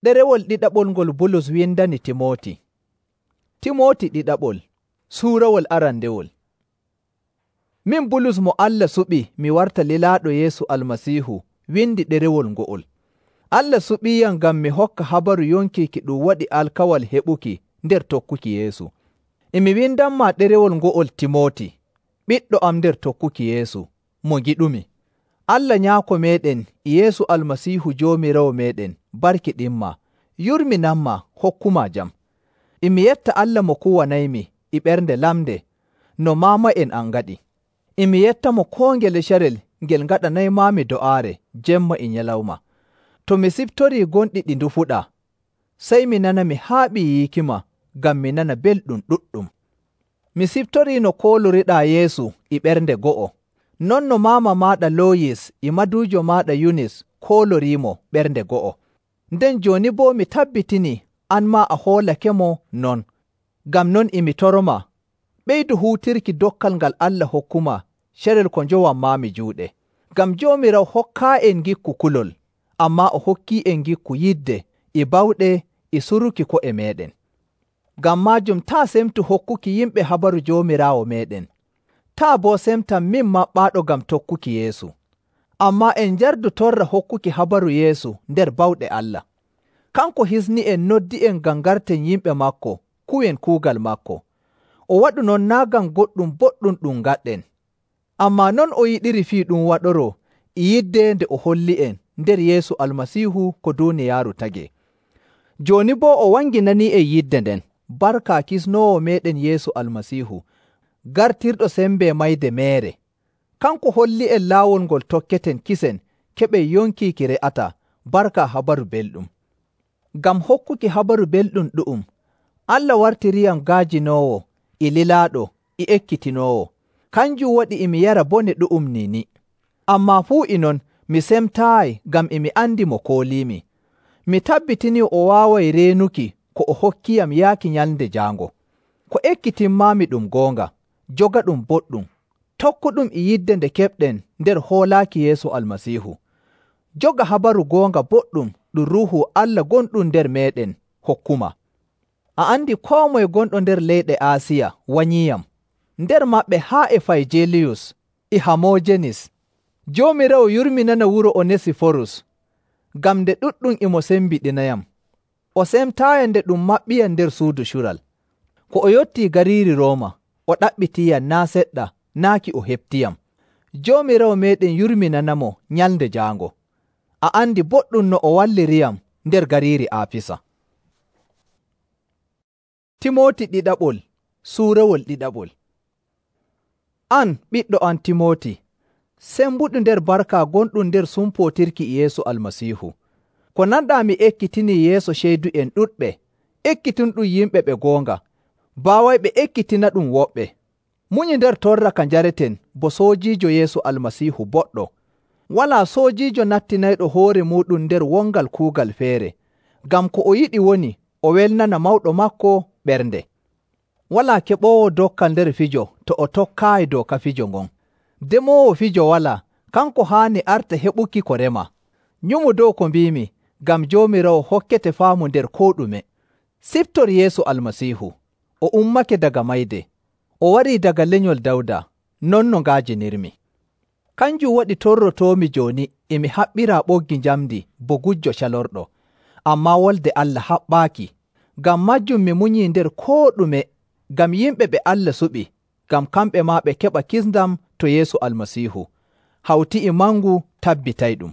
Ɗerewol ɗiɗaɓol ngol Bulus windani Timooti. Timooti ɗiɗaɓol, suurawol arandewol. Min Bulus mo Allah suɓi mi warta lilaaɗo Yeesu Almasiihu windi ɗerewol ngo'ol. Allah suɓiiyam ngam mi hokka habaru yonki ki ɗum waɗi alkawal heɓuki nder tokkuki Yeesu. E mi windanmaa ɗerewol ngo'ol Timooti, ɓiɗɗo am nder tokkuki Yeesu, mo ngiɗumi. Allah Nyaako meeɗen e Yeesu Almasiihu Joomiraawo meeɗen barkiɗinmaa, yurminanmaa, hokkumaa jam. E mi yetta Allah mo kuwanaymi e ɓernde lamnde no maama'en am ngaɗi. E mi yettamo koo ngele carel ngel ngaɗanaymaami do'aare jemma e nyalawma. To mi siftorii gonɗi ɗi ndufuɗaa, sey mi nana mi haaɓii yiikima ngam mi nana belɗum ɗuɗɗum. Mi siftorii no kooloriɗaa Yeesu e ɓernde go'o, non no maama maaɗa Looyis e maduujo maaɗa Yunis kooloriimo ɓernde go'o. Nden jooni boo mi tabbitinii an maa a hoolakemo non. Ngam non e mi toromaa, ɓeydu huutirki dokkal ngal Allah hokkumaa carel ko njowanmaami juuɗe. Ngam Joomiraawo hokkaa'en ngikku kulol, ammaa o hokkii'en ngikku yidde e bawɗe e suruki ko'e meeɗen. Ngam maajum taa semtu hokkuki yimɓe habaru Joomiraawo meeɗen. Taa boo semtam min maɓɓaaɗo ngam tokkuki Yeesu. Ammaa en njardu torra hokkuki habaru Yeesu nder bawɗe Allah. Kanko hisni'en noddi'en ngam ngarten yimɓe maako kuwen kuugal maako. O waɗu non naa' ngam goɗɗum boɗɗum ɗum ngaɗɗen, ammaa non o yiɗiri fii ɗum waɗoroo e yidde nde o holli'en nder Yeesu Almasiihu ko duuniyaaru tagee. Jooni boo o wanginanii'en yidde nden barka kisnoowo meeɗen Yeesu Almasiihu, gartirɗo sembe mayde meere. Kanko holli'en laawol ngol tokketen kisen keɓen yonki ki re'ataa barka habaru belɗum. Ngam hokkuki habaru belɗum ɗu'um, Allah wartiriyam gaajinoowo e lilaaɗo e ekkitinoowo. Kanjum waɗi e mi yara bone ɗu'um ni. Ammaa fuu e non mi semtaayi ngam e mi andi mo kooliimi. Mi tabbitinii o waaway reenuki ko o hokkiyam yaaki nyalnde jaango. Ko ekkitinmaami ɗum goonga, jogaɗum boɗɗum, tokkuɗum e yidde nde keɓɗen nder hoolaaki Yeesu Almasiihu. Joga habaru goonga boɗɗum ɗum Ruuhu Allah gonɗum nder meeɗen hokkuma. A andi koo moye gonɗo nder leyɗe Aasiya wanyiiyam, nder maɓɓe haa e Fayjeliyus e Hamoojenis. Joomiraawo yurminana wuro Onesiforus, ngam nde ɗuɗɗum e mo sembiɗinayam. O semtaayam nde ɗum maɓɓiyam nder suudu cural. Ko o yottii gariiri Rooma, o ɗaɓɓitiiyam naa' seɗɗa naaki o heɓtiyam. Joomiraawo meeɗen yurminanamo nyalnde jaango. A andi boɗɗum no o walliriyam nder gariiri Aafisa. Timooti ɗiɗaɓol, suurawol ɗiɗaɓol. An ɓiɗɗo am Timooti, sembuɗu nder barka gonɗum nder sumpootirki e Yeesu Almasiihu. Ko nanɗaa mi ekkitinii yeeso ceydu'en ɗuɗɓe, ekkitinɗum yimɓe ɓe goonga, baawayɓe ekkitina ɗum woɓɓe. Munyu nder torra ka njareten bo soojiijo Yeesu Almasiihu boɗɗo. Walaa soojiijo nattinayɗo hoore muuɗum nder wongal kuugal feere, ngam ko o yiɗi woni o welnana mawɗo maako ɓernde. Walaa keɓoowo dokkal nder fijo to o tokkaayi dooka fijo ngon. Demoowo fijo walaa, kanko haani arta heɓuki ko rema. Nyumu dow ko mbiimi, ngam Joomiraawo hokkete faamu nder koo ɗume. Siftor Yeesu Almasiihu, o ummake daga mayde. O warii daga lenyol Dawda, non no ngaajinirmi. Kanjum waɗi torrotoomi jooni e mi haɓɓiraa ɓoggi njamndi bo gujjo calorɗo. Ammaa wolde Allah haɓɓaaki. Ngam majjum mi munyii nder koo ɗume, ngam yimɓe ɓe Allah suɓi, ngam kamɓe maa ɓe keɓa kisndam to Yeesu Almasiihu, hawti e mangu tabbitayɗum.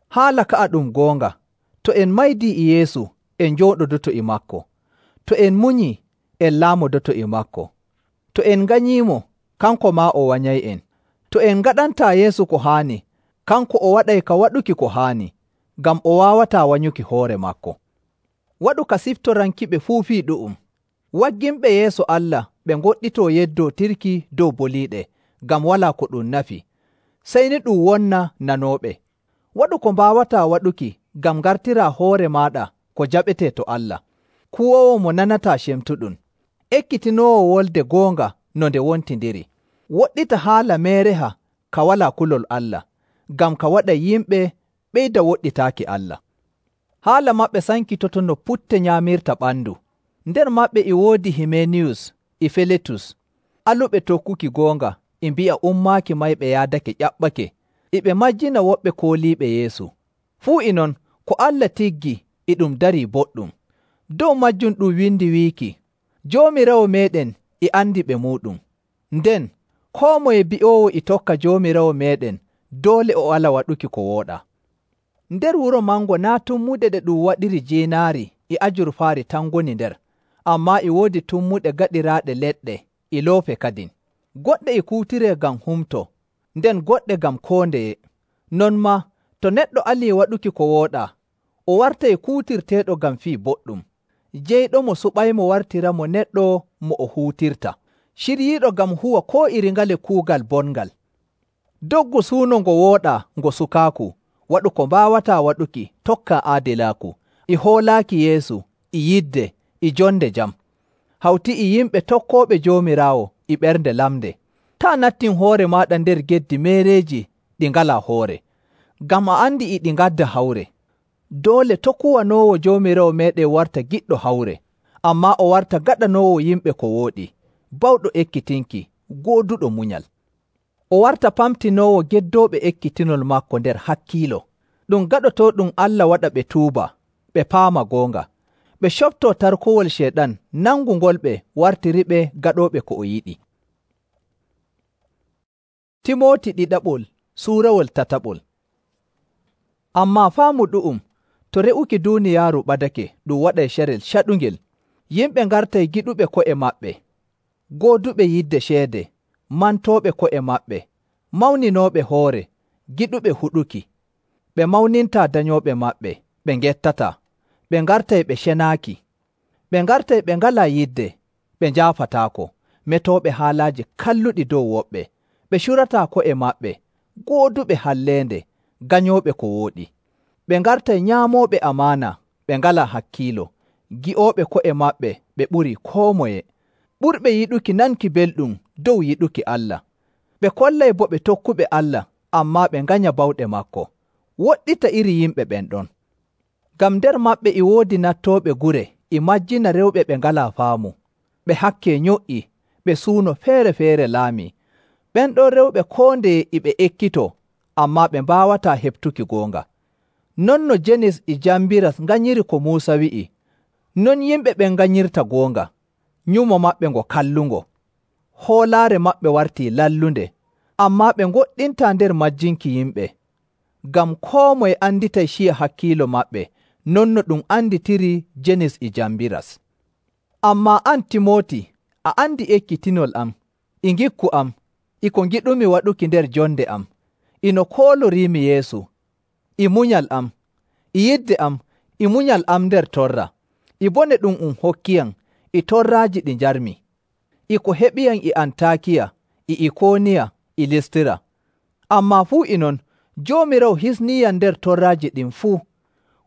Haala ka'a ɗum goonga, to en maydii e Yeesu, en njooɗodoto e maako. To en munyii, en laamodoto e maako. To en nganyiimo, kanko maa o wanyay'en. To en ngaɗantaa Yeesu ko haani, kanko o waɗay ka waɗuki ko haani, ngam o waawataa wanyuki hoore maako. Waɗu ka siftorankiɓe fuu fii ɗu'um. Wagginɓe yeeso Allah ɓe ngoɗɗitoo yeddootirki dow boliiɗe, ngam walaa ko ɗum nafi, sey ni ɗum wonna nanooɓe. Waɗu ko mbaawataa waɗuki ngam ngartiraa hoore maaɗa ko jaɓetee to Allah. Kuwoowo mo nanataa cemtuɗum. Ekkitinoowo wolde goonga no nde wontindiri. Woɗɗita haala meereha ka walaa kulol Allah, ngam ka waɗa yimɓe ɓeyda woɗɗitaaki Allah. Haala maɓɓe sankitoto no putte nyaamirta ɓandu. Nder maɓɓe e woodi Himeniyus e Filetus, aluɓe tokkuki goonga, e mbi'a ummaaki mayɓe yaadake ƴaɓɓake, e ɓe majjina woɓɓe kooliiɓe Yeesu. Fuu e non, ko Allah tiggi e ɗum darii boɗɗum. Dow majjum ɗum windi wiiki, Joomiraawo meeɗen e andi ɓe muuɗum. Nden, koo moye bi'oowo e tokka Joomiraawo meeɗen doole o ala waɗuki ko wooɗaa. Nder wuro mango naa' tummuɗe ɗe ɗum waɗiri jiinaari e ajurfaari tan ngoni nder, ammaa e woodi tummuɗe gaɗiraaɗe leɗɗe e loope kadin. Goɗɗe e kuutiree ngam humto, nden goɗɗe ngam koo ndeye. Non maa, to neɗɗo alii waɗuki ko wooɗaa, o wartay kuutirteeɗo ngam fii boɗɗum. Jeyɗomo suɓaymo wartiramo neɗɗo mo o huutirta, ciryiiɗo ngam huwa koo iri ngale kuugal bongal. Doggu suuno ngo wooɗaa ngo sukaaku, waɗu ko mbaawataa waɗuki, tokka aadilaaku, e hoolaaki Yeesu, e yidde, e jonde jam. Hawti e yimɓe tokkooɓe Joomiraawo e ɓernde lamnde. Taa nattin hoore maaɗa nder geddi meereeji ɗi ngalaa hoore, ngam a andi e ɗi ngadda hawre. Doole to' kuwanoowo Joomiraawo meeɗen warta giɗɗo hawre, ammaa o warta gaɗanoowo yimɓe ko wooɗi, bawɗo ekkitinki, gooduɗo munyal. O warta pamtinoowo geddooɓe ekkitinol maako nder hakkiilo. Ɗum gaɗotooɗum Allah waɗa ɓe tuuba, ɓe paama goonga, ɓe coɓtoo tarkowol Ceyɗan nangungol ɓe wartiriɓe gaɗooɓe ko o yiɗi. Timooti ɗiɗaɓol suurawol tataɓol. Ammaa faamu ɗu'um, to re'uki duuniyaaru ɓadake ɗum waɗay carel caɗungel, yimɓe ngartay giɗuɓe ko'e maɓɓe, gooduɓe yidde ceede, mantooɓe ko'e maɓɓe, mawninooɓe hoore, giɗuɓe huɗuki. Ɓe mawnintaa danyooɓe maɓɓe, ɓe ngettataa, ɓe ngartay ɓe cenaaki. Ɓe ngartay ɓe ngalaa yidde, ɓe njaafataako, metooɓe haalaaji kalluɗi dow woɓɓe, ɓe curataa ko'e maɓɓe, gooduɓe halleende, ganyooɓe ko wooɗi. Ɓe ngartay nyaamooɓe amaana, ɓe ngalaa hakkiilo, gi'ooɓe ko'e maɓɓe ɓe ɓuri koo moye, ɓurɓe yiɗuki nanki belɗum dow yiɗuki Allah. Ɓe kollay bo ɓe tokkuɓe Allah, ammaa ɓe nganya bawɗe maako. Woɗɗita iri yimɓe ɓen ɗon. Ngam nder maɓɓe e woodi nattooɓe gure e majjina rewɓe ɓe ngalaa faamu, ɓe hakke nyo'i, ɓe suuno feere-feere laamii. Ɓen ɗon rewɓe koo ndeye e ɓe ekkitoo, ammaa ɓe mbaawataa heɓtuki goonga. Non no Jenis e Jambiras nganyiri ko Muusa wi'i, non yimɓe ɓen nganyirta goonga. Nyumo maɓɓe ngo kallungo, hoolaare maɓɓe wartii lallunde, ammaa ɓe ngoɗɗintaa nder majjinki yimɓe. Ngam koo moye anditay ciya hakkiilo maɓɓe, non no ɗum anditiri Jenis e Jambiras. Ammaa an Timooti, a andi ekkitinol am, e ngikku am, e ko ngiɗumi waɗuki nder jonde am, e no kooloriimi Yeesu, e munyal am, e yidde am, e munyal am nder torra, e bone ɗum hokkiyam, e torraaji ɗi njarmi, e ko heɓiyam e Antaakiya, e Ikooniya, e Listira. Ammaa fuu e non, Joomiraawo hisniiyam nder torraaji ɗin fuu.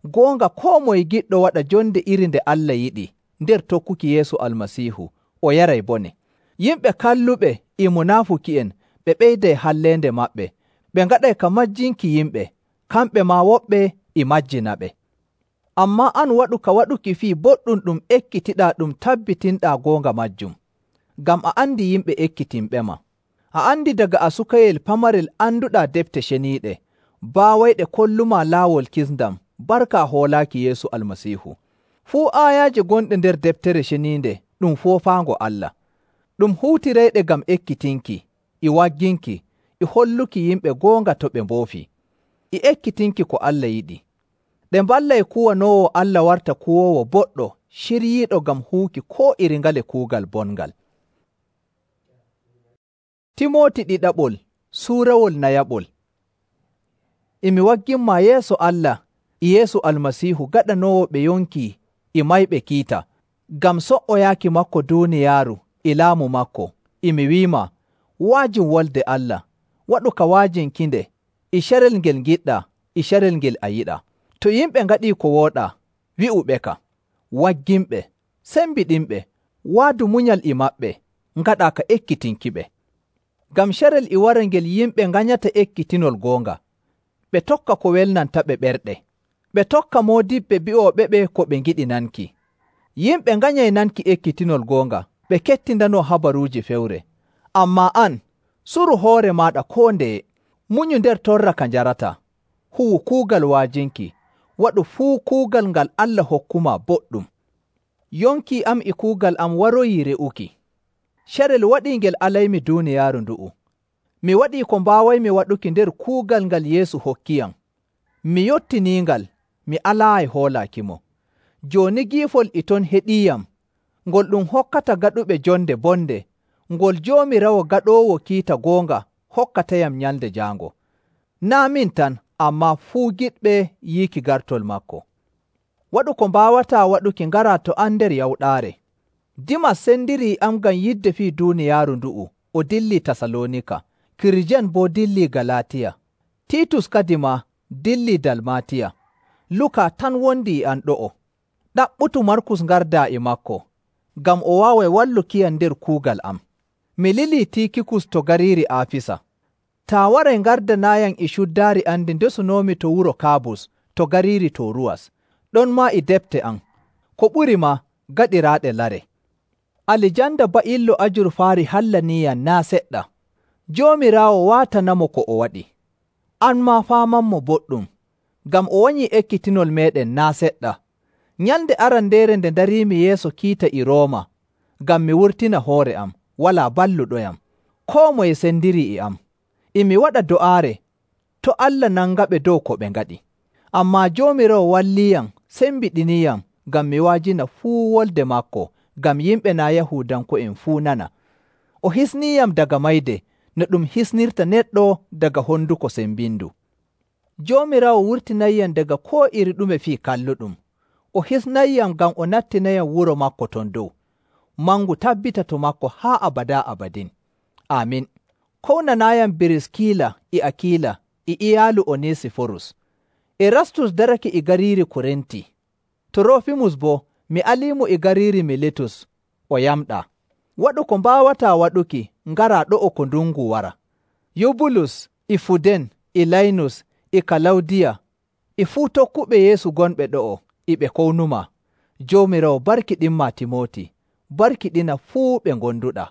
Goonga koo moye giɗɗo waɗa jonde iri nde Allah yiɗi nder tokkuki Yeesu Almasiihu, o yaray bone. Yimɓe kalluɓe e munaafuki'en ɓe ɓeyday halleende maɓɓe, ɓe ngaɗay ka majjinki yimɓe, kamɓe maa woɓɓe e majjinaɓe. Ammaa an waɗu ka waɗuki fii boɗɗum ɗum ekkitiɗaa ɗum tabbitinɗaa goonga majjum, ngam a andi yimɓe ekkitinɓema. A andi daga a sukayel pamarel anduɗaa defte ceniiɗe, baawayɗe kollumaa laawol kisndam, barka hoolaaki Yeesu Almasiihu. Fuu aayaaje gonɗe nder deftere ceniinde ɗum foofaango Allah. Ɗum huutirayɗe ngam ekkitinki, e wagginki, e holluki yimɓe goonga to ɓe mboofi, e ekkitinki ko Allah yiɗi. Ɗe mballay kuwanoowo Allah warta kuwoowo boɗɗo, ciryiiɗo ngam huuki koo iri ngale kuugal bongal. Timooti ɗiɗaɓol suurawol nayaɓol. E mi wagginmaa yeeso Allah e Yeesu Almasiihu gaɗanoowo ɓe yonki e mayɓe kiita, ngam so''oyaaki makko duuniyaaru e laamu makko, e mi wi'imaa, waajin wolde Allah, waɗu ka waajinkinde, e carel ngel ngiɗɗaa, e carel ngel a yiɗaa. To yimɓe ngaɗii ko wooɗaa, wi'uɓeka, wagginɓe, sembiɗinɓe, waadu munyal e maɓɓe, ngaɗaa ka ekkitinkiɓe. Ngam carel e wara ngel yimɓe nganyata ekkitinol goonga, ɓe tokka ko welnantaɓe ɓerɗe, Ɓe tokka moodiɓɓe bi'ooɓeɓe ko ɓe ngiɗi nanki. Yimɓe nganyay nanki ekkitinol goonga, ɓe kettindanoo habaruuji fewre. Ammaa an, suru hoore maaɗa koo ndeye, munyu nder torra ka njarataa, huwu kuugal wa'ajinki, waɗu fuu kuugal ngal Allah hokkumaa boɗɗum. Yonki am e kuugal am waroyii re'uki. Carel waɗii ngel alaymi duuniyaaru ndu'u. Mi waɗii ko mbaawaymi waɗuki nder kuugal ngal Yeesu hokkiyam. Mi yottiniingal, mi alaayi hoolaakimo. Jooni giifol e ton heɗiiyam, ngol ɗum hokkata gaɗuɓe jonde bonde, ngol Joomiraawo gaɗoowo kiita goonga hokkatayam nyalnde jaango. Naa' min tan, ammaa fuu giɗɓe yiiki gartol maako. Waɗu ko mbaawataa waɗuki ngaraa to am nder yawɗaare. Dimas sendirii am ngam yidde fii duuniyaaru ndu'u, o dillii Tasaloonika. Kirjen boo dillii Galaatiya. Tiitus kadimaa dillii Dalmaatiya. Luka tan wondi e am ɗo'o. Ɗaɓɓutu Markus ngardaa e maako, ngam o waaway wallukiyam nder kuugal am. Mi lilii Tiikikus to gariiri Aafisa. Taa waray ngardanaayam e cuddaari am ndi ndesunoomi to wuro Kaabus to gariiri Tooruwas, ɗon maa e depte am, ko ɓuri maa gaɗiraaɗe lare. Alijanda ba'illo ajurfaari hallaniiyam naa' seɗɗa. Joomiraawo waatanamo ko o waɗi. An maa faamanmo boɗɗum, ngam o wanyii ekkitinol meeɗen naa' seɗɗa. Nyalnde arandeere nde ndariimi yeeso kiita e Rooma, ngam mi wurtina hoore am, walaa balluɗoyam. Koo moye sendirii e am. E mi waɗa do'aare, to Allah nangaɓe dow ko ɓe ngaɗi. Ammaa Joomiraawo walliiyam sembiɗiniiyam ngam mi wa'ajina fuu wolde maako, ngam yimɓe naa' Yahuudanko'en fuu nana. O hisniiyam daga mayde, no ɗum hisnirta neɗɗo daga honduko sembindu. Joomiraawo wurtinayyam daga koo iri ɗume fii kalluɗum. O hisnayyam ngam o nattinayam wuro maako ton dow. Mangu tabbita to maako haa abadaa abadin. Aamin. Kownanaayam Biriskila e Akiila e iyaalu Onesiforus. Erastus darake e gariiri Korinti. Toroofimus boo mi aliimo e gariiri Miletus o yamɗaa. Waɗu ko mbaawataa waɗuki ngaraa ɗo'o ko ndungu wara. Yubulus e Fuden e Laynus e Kalawdiya e fuu tokkuɓe Yeesu gonɓe ɗo'o e ɓe kownumaa. Joomiraawo barkiɗinmaa Timooti. Barkiɗina fuu ɓe ngonduɗaa.